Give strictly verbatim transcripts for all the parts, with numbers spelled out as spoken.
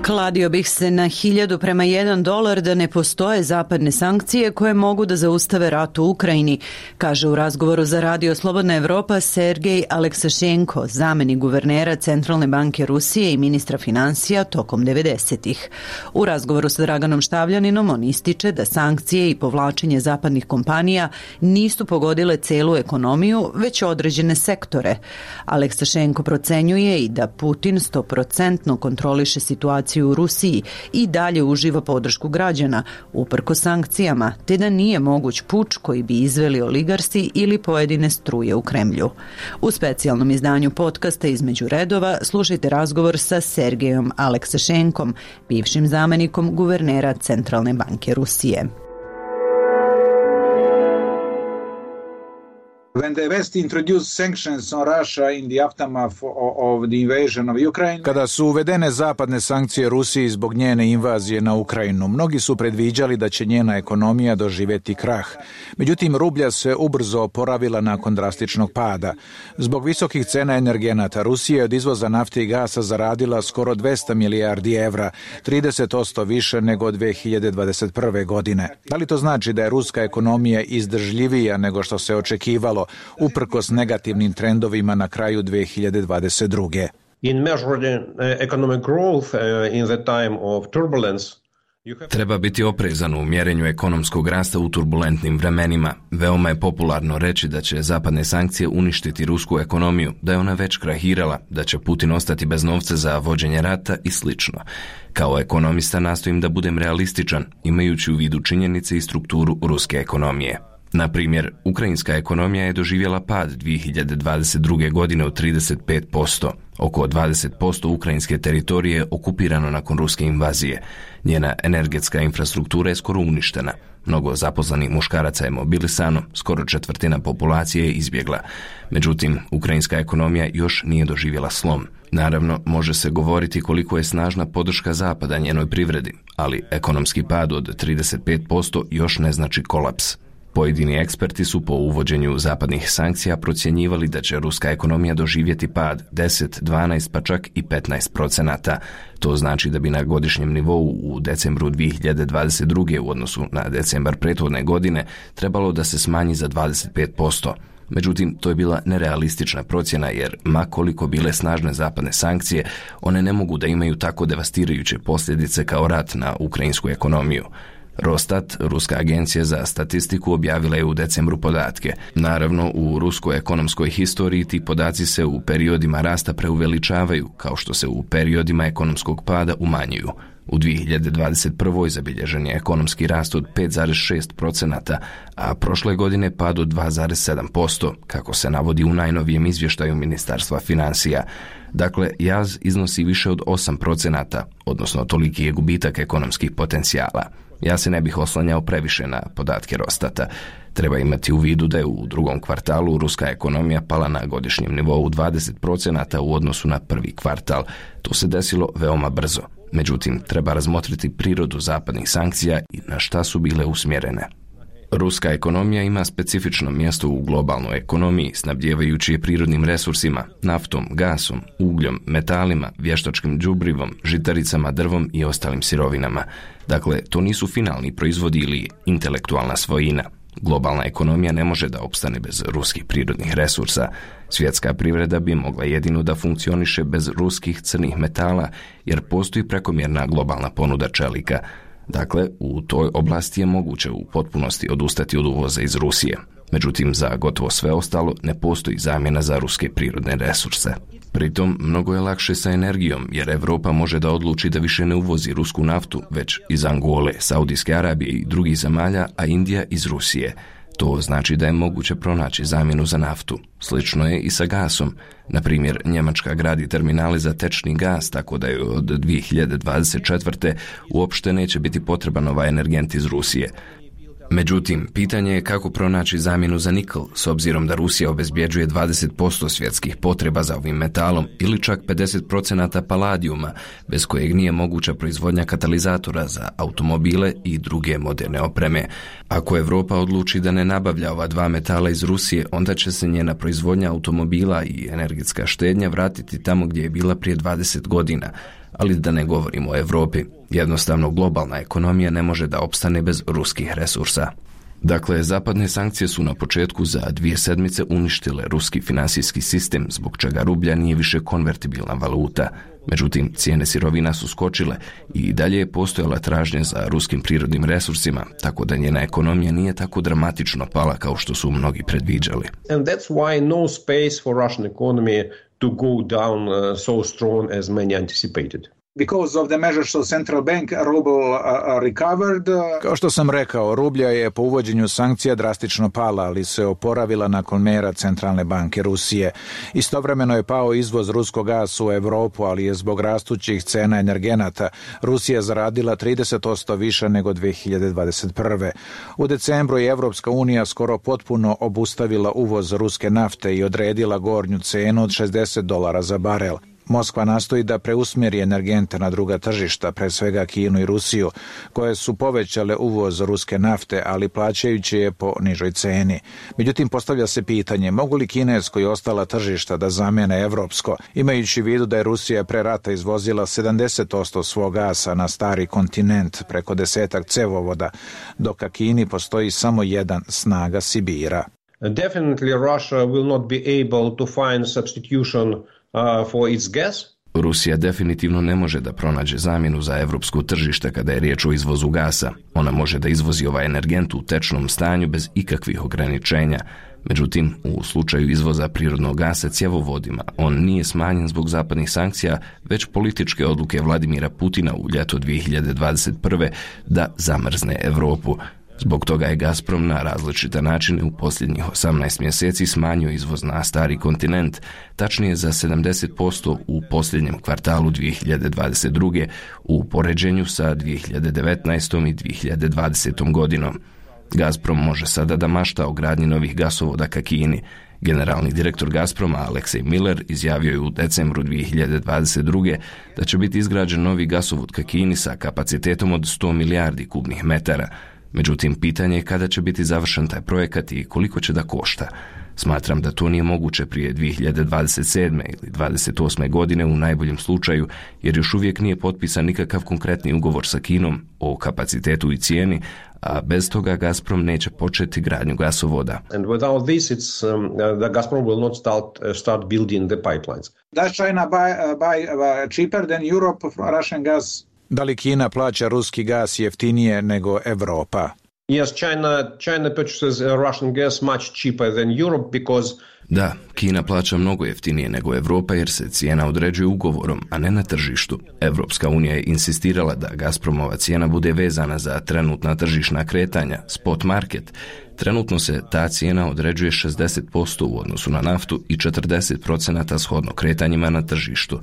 Kladio bih se na hiljadu prema jedan dolar da ne postoje zapadne sankcije koje mogu da zaustave rat u Ukrajini, kaže u razgovoru za Radio Slobodna Evropa Sergej Aleksašenko, zamenik guvernera Centralne banke Rusije i ministra financija tokom devedesetih. U razgovoru sa Draganom Štavljaninom on ističe da sankcije i povlačenje zapadnih kompanija nisu pogodile celu ekonomiju, već određene sektore. Aleksašenko procenjuje i da Putin sto posto kontroliše situaciju u Rusiji i dalje uživa podršku građana, uprkos sankcijama, te da nije moguć puč koji bi izveli oligarsi ili pojedine struje u Kremlju. U specijalnom izdanju podcasta Između redova slušajte razgovor sa Sergejom Aleksašenkom, bivšim zamenikom guvernera Centralne banke Rusije. When the West introduced sanctions on Russia in the aftermath of the invasion of Ukraine. Kada su uvedene zapadne sankcije Rusiji zbog njene invazije na Ukrajinu, mnogi su predviđali da će njena ekonomija doživjeti krah. Međutim, rublja se ubrzo oporavila nakon drastičnog pada. Zbog visokih cena energenata, Rusija je od izvoza nafte i gasa zaradila skoro dvesta milijardi evra, trideset posto više nego od dve hiljade dvadeset prve. godine. Da li to znači da je ruska ekonomija izdržljivija nego što se očekivalo, uprkos negativnim trendovima na kraju dve hiljade dvadeset druge. In measuring economic growth in the time of turbulence, treba biti oprezan u mjerenju ekonomskog rasta u turbulentnim vremenima. Veoma je popularno reći da će zapadne sankcije uništiti rusku ekonomiju, da je ona već krahirala, da će Putin ostati bez novca za vođenje rata i slično. Kao ekonomista nastojim da budem realističan, imajući u vidu činjenice i strukturu ruske ekonomije. Na primjer, ukrajinska ekonomija je doživjela pad dvije hiljade dvadeset druge. godine od trideset pet posto. Oko dvadeset posto ukrajinske teritorije je okupirano nakon ruske invazije. Njena energetska infrastruktura je skoro uništena. Mnogo zaposlenih muškaraca je mobilisano, skoro četvrtina populacije je izbjegla. Međutim, ukrajinska ekonomija još nije doživjela slom. Naravno, može se govoriti koliko je snažna podrška Zapada njenoj privredi, ali ekonomski pad od trideset pet posto još ne znači kolaps. Pojedini eksperti su po uvođenju zapadnih sankcija procjenjivali da će ruska ekonomija doživjeti pad deset, dvanaest pa čak i petnaest procenata. To znači da bi na godišnjem nivou u decembru dvije hiljade dvadeset druge. u odnosu na decembar prethodne godine trebalo da se smanji za dvadeset pet posto. Međutim, to je bila nerealistična procjena jer, ma koliko bile snažne zapadne sankcije, one ne mogu da imaju tako devastirajuće posljedice kao rat na ukrajinsku ekonomiju. Rostat, ruska agencija za statistiku, objavila je u decembru podatke. Naravno, u ruskoj ekonomskoj historiji ti podaci se u periodima rasta preuveličavaju, kao što se u periodima ekonomskog pada umanjuju. U dvije hiljade dvadeset prve. zabilježen je ekonomski rast od pet zarez šest procenata, a prošle godine pad od dva zarez sedam posto, kako se navodi u najnovijem izvještaju Ministarstva financija. Dakle, jaz iznosi više od osam procenata, odnosno toliki je gubitak ekonomskih potencijala. Ja se ne bih oslanjao previše na podatke Rostata. Treba imati u vidu da je u drugom kvartalu ruska ekonomija pala na godišnjem nivou dvadeset procenata u odnosu na prvi kvartal. To se desilo veoma brzo. Međutim, treba razmotriti prirodu zapadnih sankcija i na šta su bile usmjerene. Ruska ekonomija ima specifično mjesto u globalnoj ekonomiji, snabdjevajući je prirodnim resursima, naftom, gasom, ugljom, metalima, vještačkim đubrivom, žitaricama, drvom i ostalim sirovinama. Dakle, to nisu finalni proizvodi ili intelektualna svojina. Globalna ekonomija ne može da opstane bez ruskih prirodnih resursa. Svjetska privreda bi mogla jedino da funkcioniše bez ruskih crnih metala, jer postoji prekomjerna globalna ponuda čelika. Dakle, u toj oblasti je moguće u potpunosti odustati od uvoza iz Rusije. Međutim, za gotovo sve ostalo ne postoji zamjena za ruske prirodne resurse. Pritom, mnogo je lakše sa energijom, jer Europa može da odluči da više ne uvozi rusku naftu, već iz Angole, Saudijske Arabije i drugih zemalja, a Indija iz Rusije. To znači da je moguće pronaći zamjenu za naftu. Slično je i sa gasom. Na primjer, Njemačka gradi terminale za tečni gas, tako da je od dvije hiljade dvadeset četvrte. uopšte neće biti potreban ovaj energent iz Rusije. Međutim, pitanje je kako pronaći zamjenu za nikl, s obzirom da Rusija obezbjeđuje dvadeset posto svjetskih potreba za ovim metalom ili čak pedeset procenata paladijuma, bez kojeg nije moguća proizvodnja katalizatora za automobile i druge moderne opreme. Ako Europa odluči da ne nabavlja ova dva metala iz Rusije, onda će se njena proizvodnja automobila i energetska štednja vratiti tamo gdje je bila prije dvadeset godina. Ali da ne govorimo o Europi, jednostavno globalna ekonomija ne može da opstane bez ruskih resursa. Dakle, zapadne sankcije su na početku za dvije sedmice uništile ruski finansijski sistem, zbog čega rublja nije više konvertibilna valuta. Međutim, cijene sirovina su skočile i dalje je postojala tražnja za ruskim prirodnim resursima, tako da njena ekonomija nije tako dramatično pala kao što su mnogi predviđali. And that's why no space for Russian economy to go down uh, so strong as many anticipated. Because of the measures of central bank, ruble uh, recovered. Kao što sam rekao, rublja je po uvođenju sankcija drastično pala, ali se oporavila nakon mjera Centralne banke Rusije. Istovremeno je pao izvoz ruskog gasa u Europu, ali je zbog rastućih cena energenata Rusija zaradila trideset posto više nego dvije hiljade dvadeset prve. U decembru je Evropska unija skoro potpuno obustavila uvoz ruske nafte i odredila gornju cenu od šezdeset dolara za barel. Moskva nastoji da preusmjeri energente na druga tržišta, pre svega Kinu i Rusiju, koje su povećale uvoz ruske nafte, ali plaćajući je po nižoj ceni. Međutim, postavlja se pitanje, mogu li kinesko i ostala tržišta da zamijene evropsko, imajući u vidu da je Rusija pre rata izvozila sedamdeset posto svog gasa na stari kontinent preko desetak cevovoda, dok ka Kini postoji samo jedan, snaga Sibira. Definitely Russia will not be able to find substitution Uh, for its gas. Rusija definitivno ne može da pronađe zamjenu za evropsko tržište kada je riječ o izvozu gasa. Ona može da izvozi ovaj energent u tečnom stanju bez ikakvih ograničenja. Međutim, u slučaju izvoza prirodnog gasa cjevovodima, on nije smanjen zbog zapadnih sankcija, već političke odluke Vladimira Putina u ljeto dvije hiljade dvadeset prve da zamrzne Europu. Zbog toga je Gazprom na različite načine u posljednjih osamnaest mjeseci smanjio izvoz na stari kontinent, tačnije za sedamdeset posto u posljednjem kvartalu dvije hiljade dvadeset druge u poređenju sa dvije hiljade devetnaestom i dvije hiljade dvadesetom godinom. Gazprom može sada da mašta o gradnji novih gasovoda ka Kini. Generalni direktor Gazproma Aleksej Miller izjavio je u decembru dvije hiljade dvadeset druge da će biti izgrađen novi gasovod ka Kini sa kapacitetom od sto milijardi kubnih metara. Međutim, pitanje je kada će biti završen taj projekat i koliko će da košta. Smatram da to nije moguće prije dvije hiljade dvadeset sedme ili dvadeset osme godine u najboljem slučaju, jer još uvijek nije potpisan nikakav konkretni ugovor sa Kinom o kapacitetu i cijeni, a bez toga Gazprom neće početi gradnju gasovoda. And without this, it's, um, the Gazprom will not start, uh, start building the pipelines. Does China buy, uh, buy uh, cheaper than Europe from Russian gas? Da li Kina plaća ruski gas jeftinije nego Europa? Yes, China, China purchases Russian gas much cheaper than Europe because Da, Kina plaća mnogo jeftinije nego Europa jer se cijena određuje ugovorom, a ne na tržištu. Evropska unija je insistirala da Gazpromova cijena bude vezana za trenutna tržišna kretanja, spot market. Trenutno se ta cijena određuje šezdeset posto u odnosu na naftu i četrdeset posto shodno kretanjima na tržištu.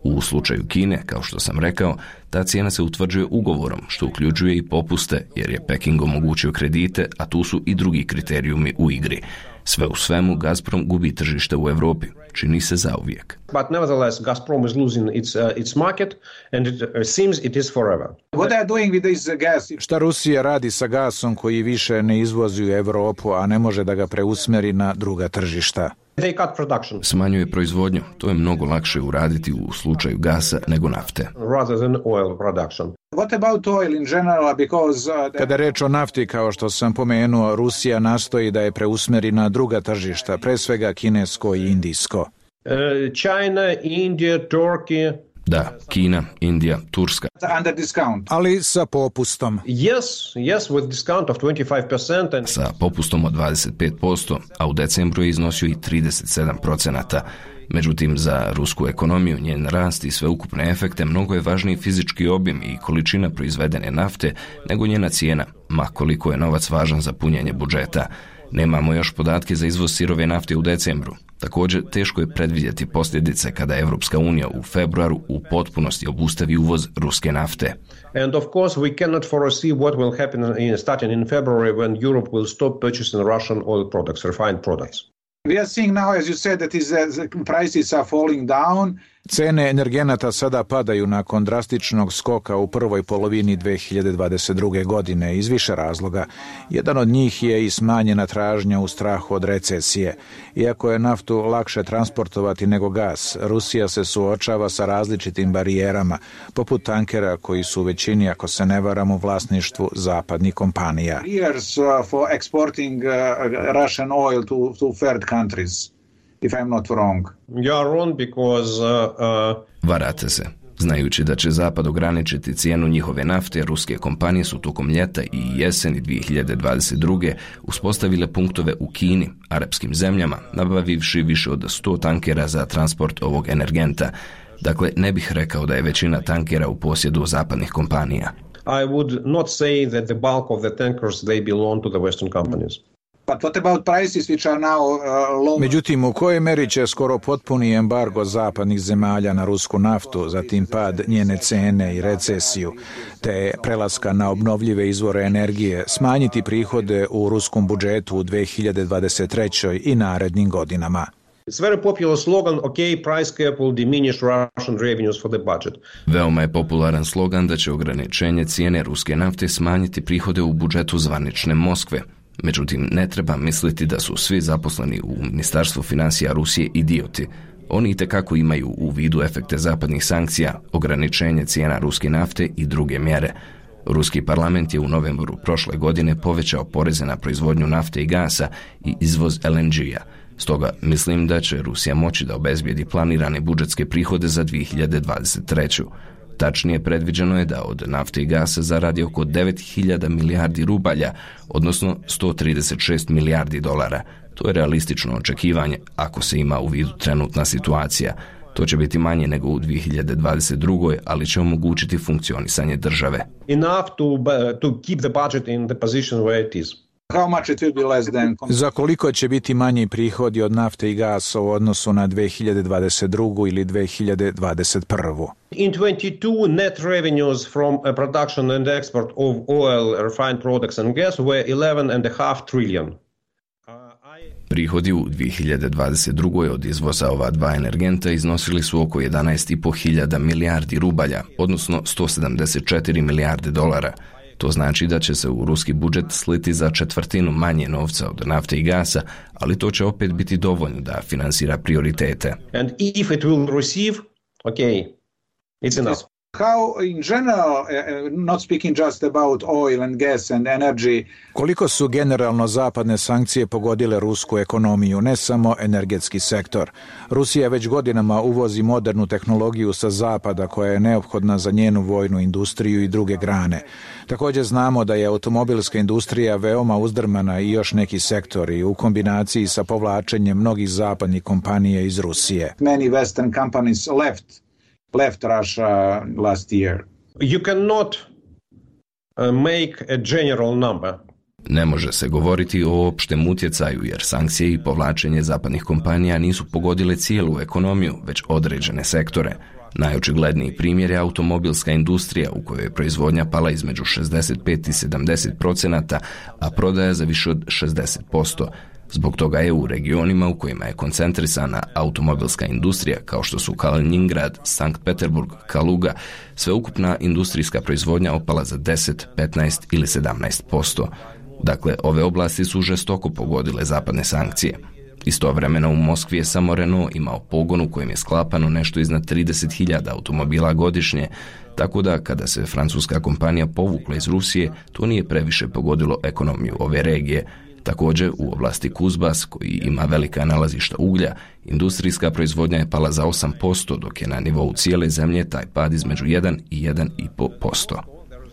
U slučaju Kine, kao što sam rekao, ta cijena se utvrđuje ugovorom, što uključuje i popuste, jer je Peking omogućio kredite, a tu su i drugi kriterijumi u igri. Sve u svemu, Gazprom gubi tržište u Europi. Čini se zauvijek. But nevertheless, Gazprom is losing its, uh, its market and it uh, seems it is forever. What they are doing with this gas? Šta Rusija radi sa gasom koji više ne izvozi u Europu, a ne može da ga preusmjeri na druga tržišta? They cut production. Smanjuje proizvodnju. To je mnogo lakše uraditi u slučaju gasa nego nafte. Rather than oil production. What about oil in general? Because, uh, the... Kada je reč o nafti, kao što sam pomenuo, Rusija nastoji da je preusmjeri na druga tržišta, pre svega kinesko i indijsko. Uh, China, India, Turkey. Da, Kina, Indija, Turska. Under discount. Ali sa popustom. Yes, yes, with discount of twenty-five percent. And... Sa popustom od dvadeset pet posto, a u decembru je iznosio i trideset sedam posto. Međutim, za rusku ekonomiju, njen rast i sveukupne efekte mnogo je važniji fizički objem i količina proizvedene nafte nego njena cijena, ma koliko je novac važan za punjenje budžeta. Nemamo još podatke za izvoz sirove nafte u decembru. Također, teško je predvidjeti posljedice kada Evropska unija u februaru u potpunosti obustavi uvoz ruske nafte. And of course, we cannot foresee what will happen in, starting in February when Europe will stop purchasing Russian oil products, refined products. We are seeing now, as you said, that is, uh, the prices are falling down. Cene energenata sada padaju nakon drastičnog skoka u prvoj polovini dve hiljade dvadeset druge. godine iz više razloga. Jedan od njih je i smanjena tražnja u strahu od recesije. Iako je naftu lakše transportovati nego gas, Rusija se suočava sa različitim barijerama, poput tankera koji su u većini, ako se ne varam, u vlasništvu zapadnih kompanija. Years uh, for exporting uh, Russian oil to, to third countries. If I'm not wrong. You are wrong because uh, uh... Varate se. Znajući da će Zapad ograničiti cijenu njihove nafte, ruske kompanije su tokom ljeta i jeseni dvije hiljade dvadeset druge. uspostavile punktove u Kini, arapskim zemljama, nabavivši više od sto tankera za transport ovog energenta. Dakle, ne bih rekao da je većina tankera u posjedu zapadnih kompanija. I would not say that the bulk of the tankers they belong to the Western companies. But what about prices which are now uh, low? Međutim, u kojoj meri će skoro potpuni embargo zapadnih zemalja na rusku naftu, zatim pad njene cene i recesiju, te prelaska na obnovljive izvore energije, smanjiti prihode u ruskom budžetu u dve hiljade dvadeset trećoj. i narednim godinama? It's very popular slogan, okay, price cap will diminish Russian revenues for the budget. Veoma je popularan slogan da će ograničenje cijene ruske nafte smanjiti prihode u budžetu zvanične Moskve. Međutim, ne treba misliti da su svi zaposleni u Ministarstvu financija Rusije idioti. Oni itekako imaju u vidu efekte zapadnih sankcija, ograničenje cijena ruske nafte i druge mjere. Ruski parlament je u novembru prošle godine povećao poreze na proizvodnju nafte i gasa i izvoz el en ge-a. Stoga mislim da će Rusija moći da obezbijedi planirane budžetske prihode za dvije hiljade dvadeset treću. Tačnije, predviđeno je da od nafte i gasa zaradi oko devet hiljada milijardi rubalja, odnosno sto trideset šest milijardi dolara. To je realistično očekivanje ako se ima u vidu trenutna situacija. To će biti manje nego u dvije hiljade dvadeset drugoj. ali će omogućiti funkcionisanje države. Enough to, uh, to keep the budget in the position where it is. How much it will be less than... Za koliko će biti manji prihodi od nafte i gasa u odnosu na dve hiljade dvadeset drugu. ili dve hiljade dvadeset prvu. In twenty-two, net revenues from a production and export of oil, refined products and gas were eleven and a half trillion. Prihodi u dvije hiljade dvadeset drugoj. od izvoza ova dva energenta iznosili su oko jedanaest i po hiljada milijardi rubalja, odnosno sto sedamdeset četiri milijarde dolara. To znači da će se u ruski budžet sliti za četvrtinu manje novca od nafte i gasa, ali to će opet biti dovoljno da finansira prioritete. And if it will receive, okay, it's enough. How in general, uh, not speaking just about oil and gas and energy. Koliko su generalno zapadne sankcije pogodile rusku ekonomiju, ne samo energetski sektor. Rusija već godinama uvozi modernu tehnologiju sa zapada koja je neophodna za njenu vojnu industriju i druge grane. Također znamo da je automobilska industrija veoma uzdrmana i još neki sektori u kombinaciji sa povlačenjem mnogih zapadnih kompanija iz Rusije. Many Western companies left left Russia last year. You cannot uh, make a general number. Ne može se govoriti o opštem utjecaju jer sankcije i povlačenje zapadnih kompanija nisu pogodile cijelu ekonomiju, već određene sektore. Najočigledniji primjer je automobilska industrija u kojoj je proizvodnja pala između šezdeset pet i sedamdeset procenata, a prodaja za više od šezdeset posto. Zbog toga je u regionima u kojima je koncentrisana automobilska industrija, kao što su Kaliningrad, Sankt Peterburg, Kaluga, sveukupna industrijska proizvodnja opala za deset, petnaest ili sedamnaest posto. Dakle, ove oblasti su žestoko pogodile zapadne sankcije. Istovremeno u Moskvi je samo Renault imao pogon u kojem je sklapano nešto iznad trideset hiljada automobila godišnje, tako da kada se francuska kompanija povukla iz Rusije, to nije previše pogodilo ekonomiju ove regije. Također, u oblasti Kuzbas, koji ima velika nalazišta uglja, industrijska proizvodnja je pala za osam posto, dok je na nivou cijele zemlje taj pad između jedan i jedan i pol posto.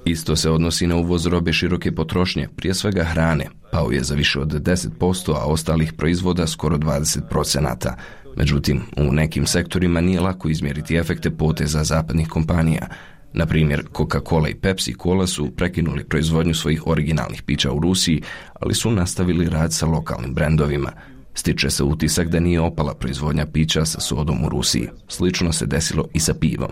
Isto se odnosi na uvoz robe široke potrošnje, prije svega hrane, pao je za više od deset posto, a ostalih proizvoda skoro dvadeset procenata. Međutim, u nekim sektorima nije lako izmjeriti efekte poteza zapadnih kompanija. Na primjer, Coca-Cola i Pepsi-Cola su prekinuli proizvodnju svojih originalnih pića u Rusiji, ali su nastavili rad sa lokalnim brendovima. Stiče se utisak da nije opala proizvodnja pića sa sodom u Rusiji. Slično se desilo i sa pivom.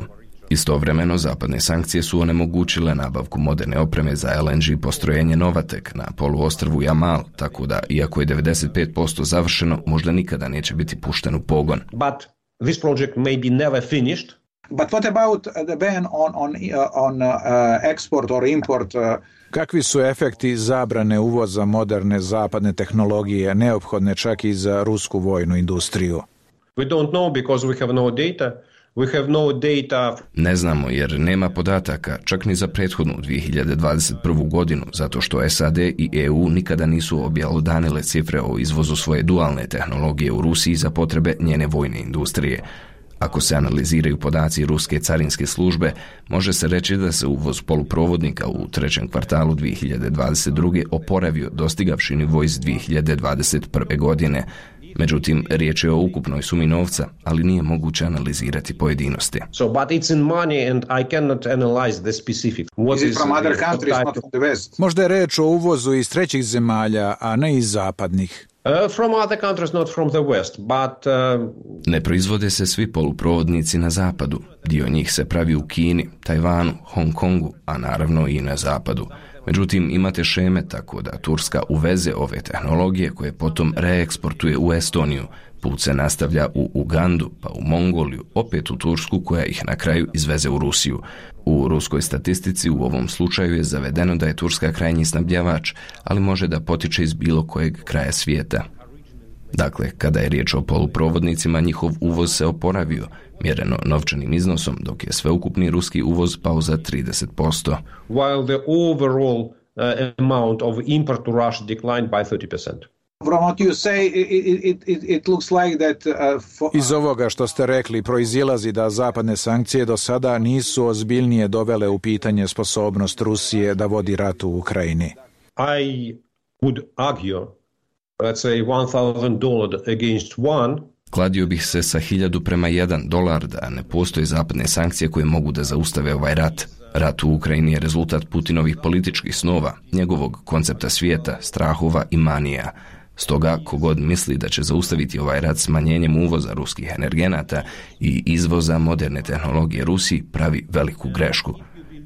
Istovremeno, zapadne sankcije su onemogućile nabavku moderne opreme za el en ge postrojenje Novatek na poluostrvu Jamal, tako da, iako je devedeset pet posto završeno, možda nikada neće biti pušten u pogon. But this project may be never finished. But what about the ban on, on, on uh, export or import? Uh, Kakvi su efekti zabrane uvoza moderne zapadne tehnologije, neophodne čak i za rusku vojnu industriju? We don't know because we have no data. We have no data. Ne znamo jer nema podataka, čak ni za prethodnu dvije hiljade dvadeset prvu godinu, zato što S A D i E U nikada nisu objelodanile cifre o izvozu svoje dualne tehnologije u Rusiji za potrebe njene vojne industrije. Ako se analiziraju podaci ruske carinske službe, može se reći da se uvoz poluprovodnika u trećem kvartalu dvije hiljade dvadeset druge oporavio dostigavši nivo iz dvije hiljade dvadeset prve godine. Međutim, riječ je o ukupnoj sumi novca, ali nije moguće analizirati pojedinosti. So, but it's in money and I cannot analyze the specific. What is it from other countries, not from the West? Možda je reč o uvozu iz trećih zemalja, a ne iz zapadnih. Uh, from other countries, not from the West, but... Uh... Ne proizvode se svi poluprovodnici na zapadu. Dio njih se pravi u Kini, Tajvanu, Hong Kongu, a naravno i na zapadu. Međutim, imate šeme tako da Turska uveze ove tehnologije koje potom reeksportuje u Estoniju. Put se nastavlja u Ugandu, pa u Mongoliju, opet u Tursku koja ih na kraju izveze u Rusiju. U ruskoj statistici u ovom slučaju je zavedeno da je Turska krajnji snabdjevač, ali može da potiče iz bilo kojeg kraja svijeta. Dakle, kada je riječ o poluprovodnicima, njihov uvoz se oporavio, mjereno novčanim iznosom, dok je sveukupni ruski uvoz pao za trideset posto. While the overall uh, amount of import to Russia declined by thirty percent. From what you say, it, it, it, it looks like that, uh, for... Iz ovoga što ste rekli proizilazi da zapadne sankcije do sada nisu ozbiljnije dovele u pitanje sposobnost Rusije da vodi rat u Ukrajini. I would argue, let's say one thousand dollars against one. Kladio bih se sa hiljadu prema jedan dolar da ne postoje zapadne sankcije koje mogu da zaustave ovaj rat. Rat u Ukrajini je rezultat Putinovih političkih snova, njegovog koncepta svijeta, strahova i manija. Stoga, kogod misli da će zaustaviti ovaj rat smanjenjem uvoza ruskih energenata i izvoza moderne tehnologije Rusiji, pravi veliku grešku.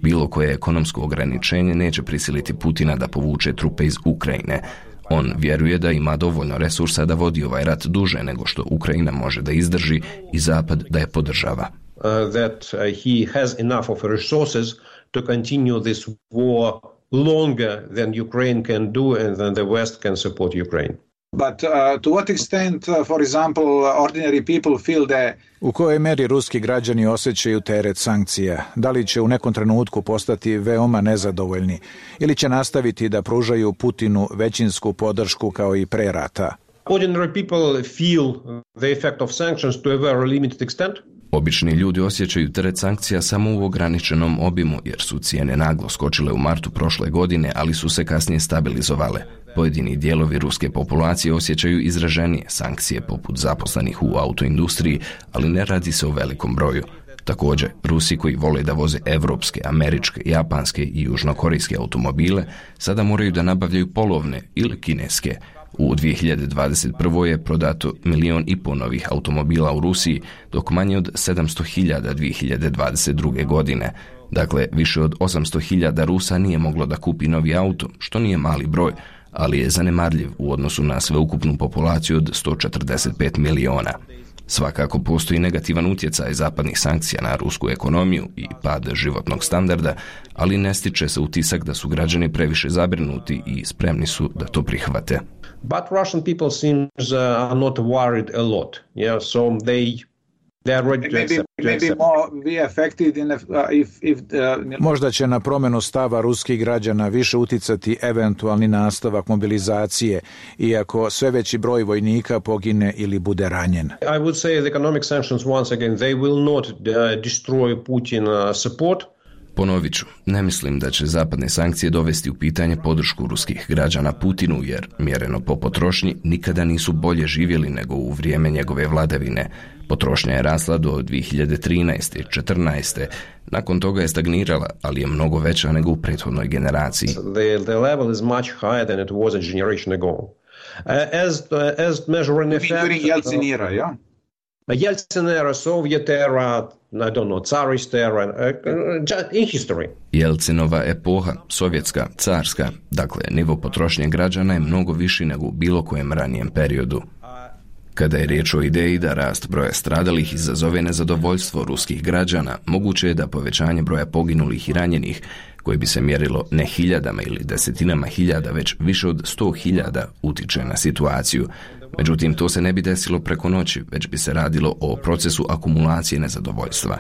Bilo koje ekonomsko ograničenje neće prisiliti Putina da povuče trupe iz Ukrajine. On vjeruje da ima dovoljno resursa da vodi ovaj rat duže nego što Ukrajina može da izdrži i Zapad da je podržava. Uh, that uh, he has enough of resources to continue this war longer than Ukraine can do and than the West can support Ukraine. But uh, to what extent, uh, for example, ordinary people feel that... U kojoj meri ruski građani osjećaju teret sankcija? Da li će u nekom trenutku postati veoma nezadovoljni ili će nastaviti da pružaju Putinu većinsku podršku kao i pre rata? Ordinary people feel the effect of sanctions to a very limited extent. Obični ljudi osjećaju teret sankcija samo u ograničenom obimu jer su cijene naglo skočile u martu prošle godine, ali su se kasnije stabilizovale. Pojedini dijelovi ruske populacije osjećaju izraženije sankcije poput zaposlenih u autoindustriji, ali ne radi se o velikom broju. Također, Rusi koji vole da voze evropske, američke, japanske i južnokorejske automobile sada moraju da nabavljaju polovne ili kineske. U dvije hiljade dvadeset prvoj je prodato milion i pol novih automobila u Rusiji, dok manje od sedamsto hiljada dvije hiljade dvadeset druge godine. Dakle, više od osamsto hiljada Rusa nije moglo da kupi novi auto, što nije mali broj, ali je zanemarljiv u odnosu na sveukupnu populaciju od sto četrdeset pet miliona. Svakako postoji negativan utjecaj zapadnih sankcija na rusku ekonomiju i pad životnog standarda, ali ne stiče se utisak da su građani previše zabrinuti i spremni su da to prihvate. But Russian people seems uh, are not worried a lot. Yeah, so they they are ready to maybe, accept. To maybe accept. more be affected in if, uh, if, if uh, Možda će na promjenu stava ruskih građana više uticati eventualni nastavak mobilizacije, iako sve veći broj vojnika pogine ili bude ranjen. I would say the economic sanctions once again they will not uh, destroy Putin uh, support. Ponovit ću, ne mislim da će zapadne sankcije dovesti u pitanje podršku ruskih građana Putinu, jer mjereno po potrošnji nikada nisu bolje živjeli nego u vrijeme njegove vladavine. Potrošnja je rasla do dvije hiljade trinaeste i četrnaeste. Nakon toga je stagnirala, ali je mnogo veća nego u prethodnoj generaciji. The, the level is much higher than it was a generation ago. Uh, as, uh, as measuring effect... During Yeltsin era, yeah? Yeltsin era, Soviet era, I don't know, Tsarist era, uh, in history. Jelcinova epoha, sovjetska, carska, dakle, nivo potrošnje građana je mnogo viši nego u bilo kojem ranijem periodu. Kada je riječ o ideji da rast broja stradalih izazove nezadovoljstvo ruskih građana, moguće je da povećanje broja poginulih i ranjenih, koje bi se mjerilo ne hiljadama ili desetinama hiljada, već više od sto hiljada, utiče na situaciju. Međutim, to se ne bi desilo preko noći, već bi se radilo o procesu akumulacije nezadovoljstva.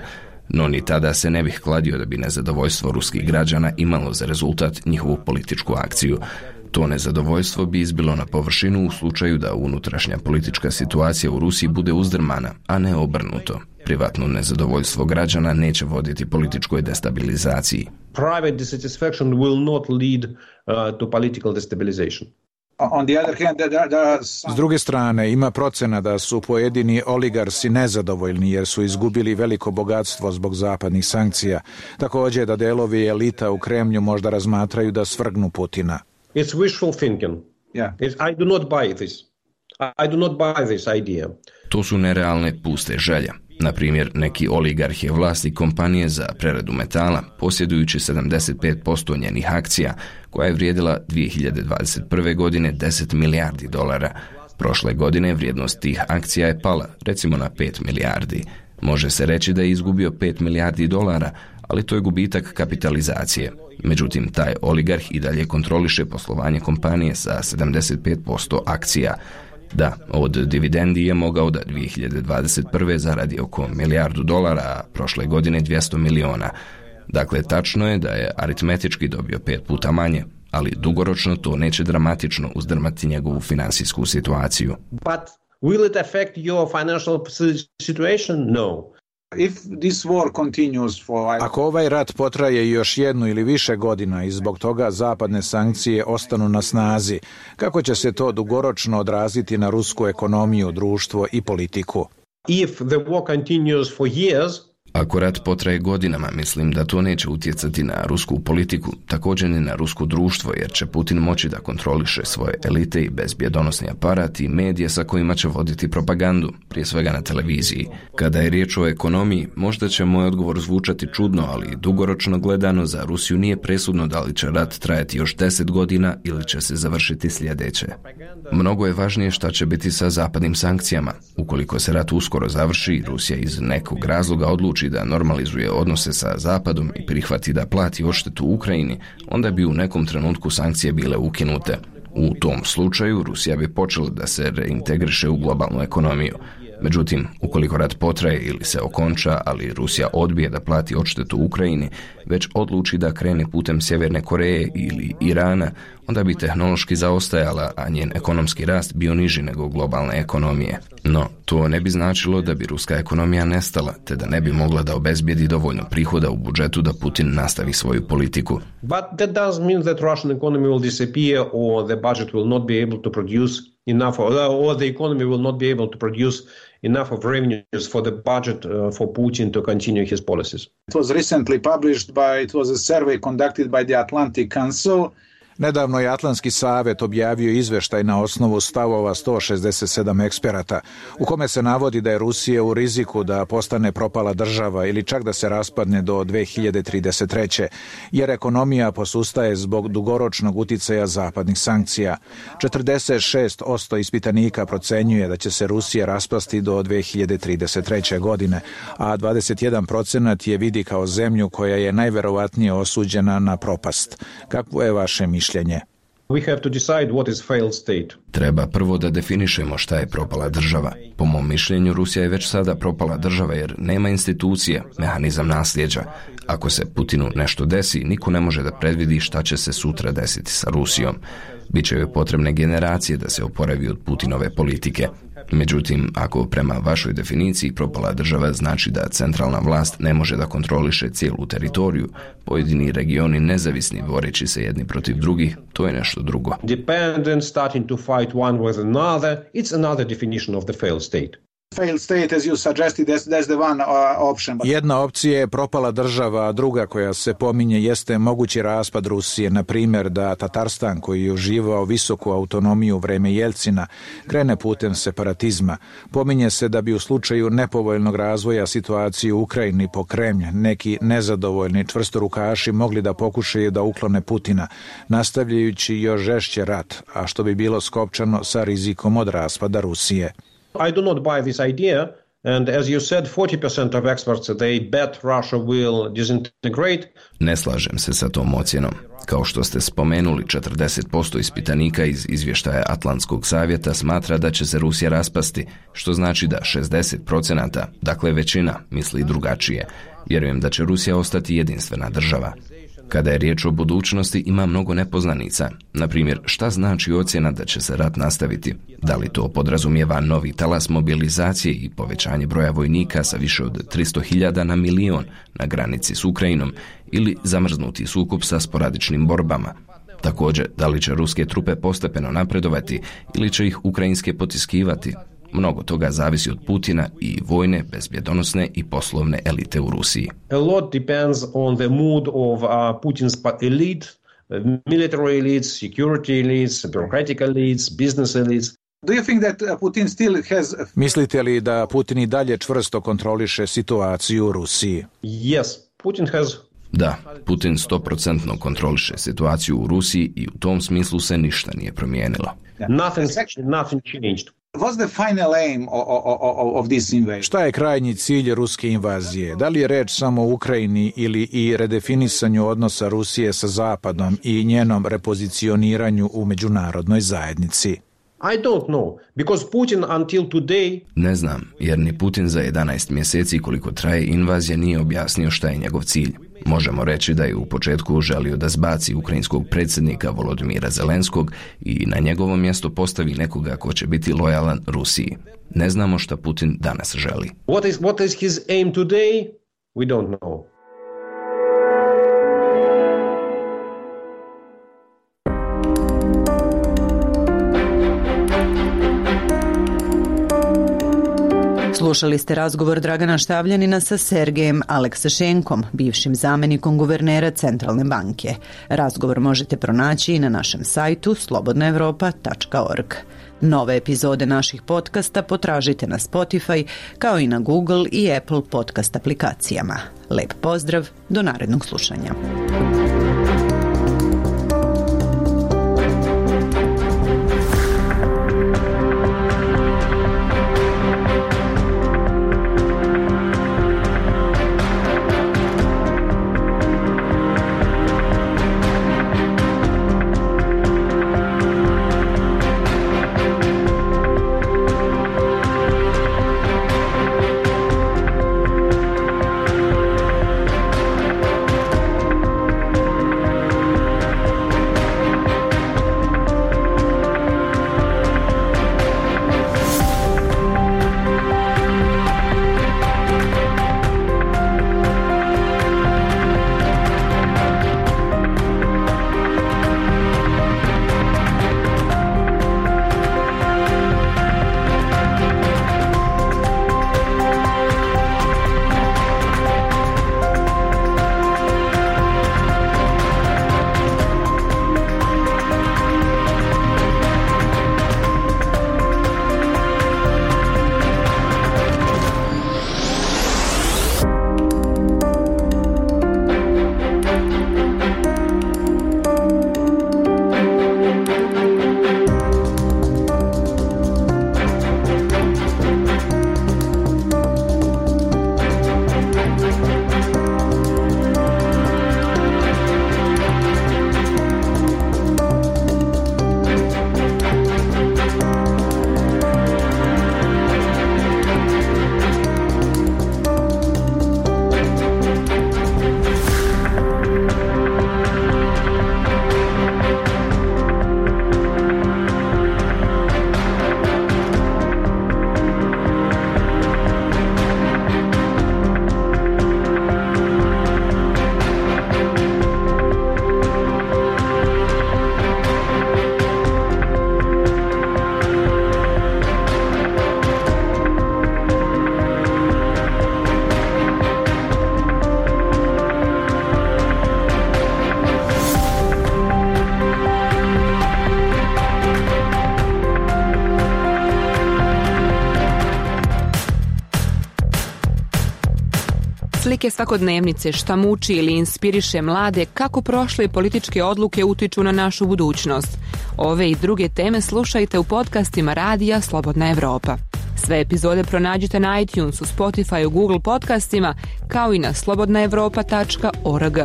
No ni tada se ne bih kladio da bi nezadovoljstvo ruskih građana imalo za rezultat njihovu političku akciju. To nezadovoljstvo bi izbilo na površinu u slučaju da unutrašnja politička situacija u Rusiji bude uzdrmana, a ne obrnuto. Privatno nezadovoljstvo građana neće voditi političkoj destabilizaciji. Private dissatisfaction will not lead uh, to political destabilization. On the other hand, there, there are some... S druge strane, ima procena da su pojedini oligarsi nezadovoljni jer su izgubili veliko bogatstvo zbog zapadnih sankcija. Također da delovi elita u Kremlju možda razmatraju da svrgnu Putina. It's wishful thinking. Yeah. It's, I do not buy this. I do not buy this idea. To su nerealne puste želje. Na primjer, neki oligarh je vlasnik kompanije za preradu metala, posjedujući sedamdeset pet posto njenih akcija, koja je vrijedila dvije hiljade dvadeset prve. godine deset milijardi dolara. Prošle godine vrijednost tih akcija je pala, recimo na pet milijardi. Može se reći da je izgubio pet milijardi dolara, ali to je gubitak kapitalizacije. Međutim, taj oligarh i dalje kontroliše poslovanje kompanije sa sedamdeset pet posto akcija. Da, od dividendi je mogao da dvije hiljade dvadeset prve. zaradi oko milijardu dolara, a prošle godine dvjesto miliona. Dakle, tačno je da je aritmetički dobio pet puta manje, ali dugoročno to neće dramatično uzdrmati njegovu finansijsku situaciju. But will it affect your financial situation? No. If this war continues for... Ako ovaj rat potraje još jednu ili više godina i zbog toga zapadne sankcije ostanu na snazi, kako će se to dugoročno odraziti na rusku ekonomiju, društvo i politiku? If the war continues for years, Ako rat potraje godinama, mislim da to neće utjecati na rusku politiku, također ni na rusko društvo, jer će Putin moći da kontroliše svoje elite i bezbjedonosni aparat i medije sa kojima će voditi propagandu, prije svega na televiziji. Kada je riječ o ekonomiji, možda će moj odgovor zvučati čudno, ali dugoročno gledano za Rusiju nije presudno da li će rat trajati još deset godina ili će se završiti sljedeće. Mnogo je važnije šta će biti sa zapadnim sankcijama. Ukoliko se rat uskoro završi, Rusija iz nekog razloga odluči da normalizuje odnose sa Zapadom i prihvati da plati odštetu Ukrajini, onda bi u nekom trenutku sankcije bile ukinute. U tom slučaju Rusija bi počela da se reintegriše u globalnu ekonomiju. Međutim, ukoliko rat potraje ili se okonča, ali Rusija odbije da plati odštetu Ukrajini, već odluči da krene putem Sjeverne Koreje ili Irana, onda bi tehnološki zaostajala, a njen ekonomski rast bio niži nego globalne ekonomije. No, to ne bi značilo da bi ruska ekonomija nestala, te da ne bi mogla da obezbijedi dovoljno prihoda u budžetu da Putin nastavi svoju politiku. But that does mean that Russian economy will disappear or the budget will not be able to produce enough, or the economy will not be able to produce enough of revenues for the budget uh, for Putin to continue his policies. It was recently published by, it was a survey conducted by the Atlantic Council. Nedavno je Atlantski savjet objavio izveštaj na osnovu stavova sto šezdeset sedam eksperata, u kome se navodi da je Rusija u riziku da postane propala država ili čak da se raspadne do dvije hiljade trideset treće. jer ekonomija posustaje zbog dugoročnog uticaja zapadnih sankcija. četrdeset šest posto ispitanika procenjuje da će se Rusija raspasti do dvije hiljade trideset treće. godine, a dvadeset jedan procenat je vidi kao zemlju koja je najverovatnije osuđena na propast. Kakvo je vaše mišljenje? We have to decide what is failed state. Treba prvo da definišemo šta je propala država. Po mom mišljenju, Rusija je već sada propala država jer nema institucije, mehanizam nasljeđa. Ako se Putinu nešto desi, niko ne može da predvidi šta će se sutra desiti sa Rusijom. Biće joj potrebne generacije da se oporavi od Putinove politike. Međutim, ako prema vašoj definiciji propala država znači da centralna vlast ne može da kontroliše cijelu teritoriju, pojedini regioni nezavisni boreći se jedni protiv drugih, to je nešto drugo. Dependent, starting to fight one with another, it's another definition of the failed state. Failed state, as you suggested, that's, that's the one uh, option. But... Jedna opcija je propala država, a druga koja se pominje jeste mogući raspad Rusije, na primjer da Tatarstan, koji je uživao visoku autonomiju u vreme Jelcina, krene putem separatizma. Pominje se da bi u slučaju nepovoljnog razvoja situacije u Ukrajini po Kremlj neki nezadovoljni čvrstorukaši mogli da pokušaju da uklone Putina, nastavljajući još žešće rat, a što bi bilo skopčano sa rizikom od raspada Rusije. I do not buy this idea. And as you said, forty percent of experts, they bet Russia will disintegrate. Ne slažem se sa tom ocjenom. Kao što ste spomenuli, četrdeset posto ispitanika iz izvještaja Atlantskog savjeta smatra da će se Rusija raspasti, što znači da šezdeset posto, dakle većina, misli drugačije. Vjerujem da će Rusija ostati jedinstvena država. Kada je riječ o budućnosti, ima mnogo nepoznanica. Na primjer, šta znači ocjena da će se rat nastaviti? Da li to podrazumijeva novi talas mobilizacije i povećanje broja vojnika sa više od tristo hiljada na milion na granici s Ukrajinom ili zamrznuti sukob sa sporadičnim borbama? Također, da li će ruske trupe postepeno napredovati ili će ih ukrajinske potiskivati? Mnogo toga zavisi od Putina i vojne, bezbjedonosne i poslovne elite u Rusiji. A lot depends on the mood of uh, Putin's elite, military elites, security elites, bureaucratic elites, business elites. Do you think that Putin still has... Mislite li da Putin i dalje čvrsto kontroliše situaciju u Rusiji? Yes, Putin has... Da, Putin sto posto kontroliše situaciju u Rusiji i u tom smislu se ništa nije promijenilo. Nothing, nothing changed. What's the final aim of, of, of this invasion? Šta je krajnji cilj ruske invazije? Da li je reč samo o Ukrajini ili i redefinisanju odnosa Rusije sa Zapadom i njenom repozicioniranju u međunarodnoj zajednici? I don't know, because Putin until today... Ne znam, jer ni Putin za jedanaest mjeseci koliko traje invazija nije objasnio šta je njegov cilj. Možemo reći da je u početku želio da zbaci ukrajinskog predsjednika Volodymyra Zelenskog i na njegovo mjesto postavi nekoga ko će biti lojalan Rusiji. Ne znamo šta Putin danas želi. What is, what is his aim today? We don't know. Slušali ste razgovor Dragana Štavljanina sa Sergejem Aleksašenkom, bivšim zamjenikom guvernera Centralne banke. Razgovor možete pronaći i na našem sajtu slobodna europa tačka org. Nove epizode naših podcasta potražite na Spotify kao i na Google i Apple podcast aplikacijama. Lep pozdrav, do narednog slušanja. Slike svakodnevnice, šta muči ili inspiriše mlade, kako prošle političke odluke utiču na našu budućnost. Ove i druge teme slušajte u podcastima Radija Slobodna Evropa. Sve epizode pronađite na iTunesu, Spotifyu, Google podcastima, kao i na slobodna evropa tačka org.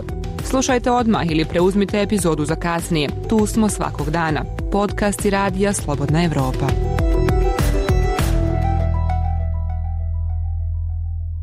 Slušajte odmah ili preuzmite epizodu za kasnije. Tu smo svakog dana. Podcast i radija Slobodna Evropa.